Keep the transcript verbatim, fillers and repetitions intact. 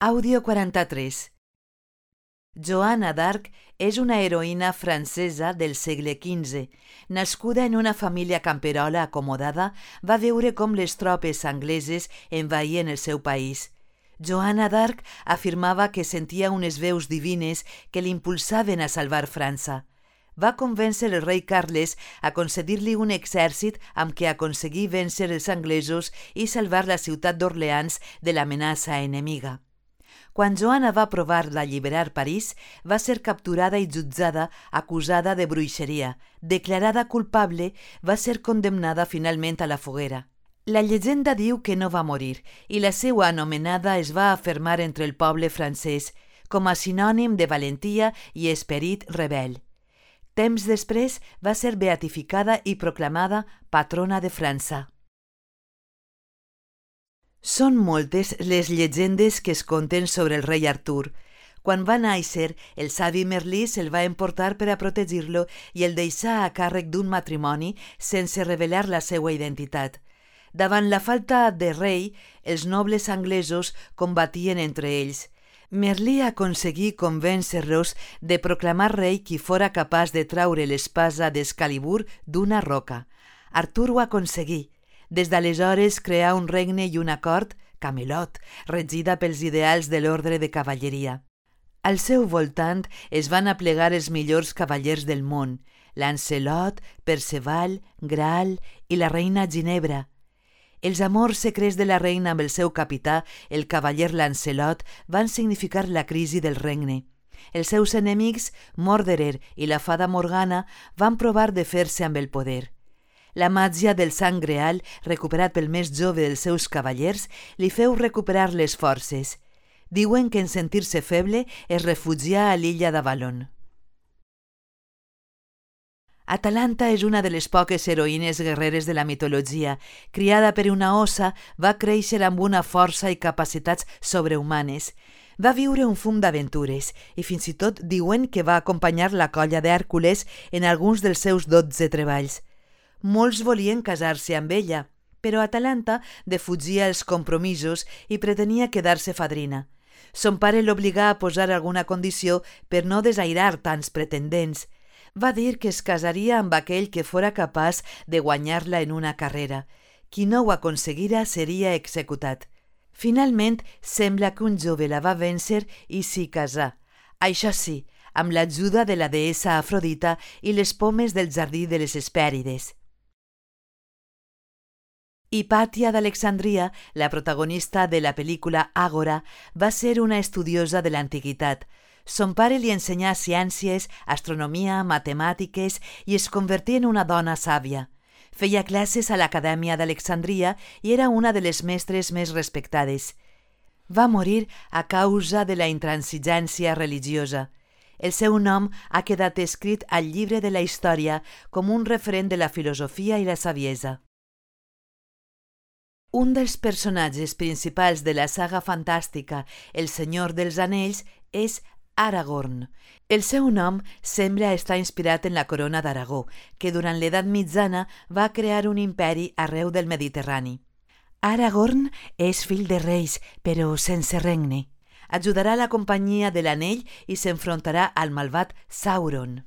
Àudio quaranta-tres. Joana d'Arc és una heroïna francesa del segle quinze. Nascuda en una família camperola acomodada, va veure com les tropes angleses envaïen el seu país. Joana d'Arc afirmava que sentia unes veus divines que l'impulsaven a salvar França. Va convèncer el rei Carles a concedir-li un exèrcit amb què aconseguir vèncer els anglesos i salvar la ciutat d'Orleans de l'amenaça enemiga. Quan Joana va provar d'alliberar París, va ser capturada i jutjada acusada de bruixeria. Declarada culpable, va ser condemnada finalment a la foguera. La llegenda diu que no va morir i la seva anomenada es va afermar entre el poble francès com a sinònim de valentia i esperit rebel. Temps després va ser beatificada i proclamada patrona de França. Són moltes les llegendes que es conten sobre el rei Artur. Quan va néixer, el savi Merlí se'l va emportar per a protegir-lo i el deixà a càrrec d'un matrimoni sense revelar la seva identitat. Davant la falta de rei, els nobles anglesos combatien entre ells. Merlí aconseguí convèncer-los de proclamar rei qui fora capaç de traure l'espasa d'Excalibur d'una roca. Artur ho aconseguí. Des d'aleshores creà un regne i una cort, Camelot, regida pels ideals de l'ordre de cavalleria. Al seu voltant es van aplegar els millors cavallers del món, Lancelot, Perceval, Graal i la reina Ginebra. Els amors secrets de la reina amb el seu capità, el cavaller Lancelot, van significar la crisi del regne. Els seus enemics, Morderer i la fada Morgana, van provar de fer-se amb el poder. La màgia del sang greal, recuperat pel més jove dels seus cavallers, li feu recuperar les forces. Diuen que en sentir-se feble es refugià a l'illa d'Avalon. Atalanta és una de les poques heroïnes guerreres de la mitologia. Criada per una ossa, va créixer amb una força i capacitats sobrehumanes. Va viure un fum d'aventures i fins i tot diuen que va acompanyar la colla d'Hèrcules en alguns dels seus dotze treballs. Molts volien casar-se amb ella, però Atalanta defugia els compromisos i pretenia quedar-se fadrina. Son pare l'obligà a posar alguna condició per no desairar tants pretendents. Va dir que es casaria amb aquell que fora capaç de guanyar-la en una carrera. Qui no ho aconseguira seria executat. Finalment, sembla que un jove la va vèncer i s'hi casà. Això sí, amb l'ajuda de la deessa Afrodita i les pomes del jardí de les Hespèrides. Hipàtia d'Alexandria, la protagonista de la pel·lícula Àgora, va ser una estudiosa de l'antiguitat. Son pare li ensenyà ciències, astronomia, matemàtiques i es convertí en una dona sàvia. Feia classes a l'Acadèmia d'Alexandria i era una de les mestres més respectades. Va morir a causa de la intransigència religiosa. El seu nom ha quedat escrit al llibre de la història com un referent de la filosofia i la saviesa. Un dels personatges principals de la saga fantàstica El Senyor dels Anells és Aragorn. El seu nom sembla estar inspirat en la corona d'Aragó, que durant l'edat mitjana va crear un imperi arreu del Mediterrani. Aragorn és fill de reis, però sense regne. Ajudarà la companyia de l'anell i s'enfrontarà al malvat Sauron.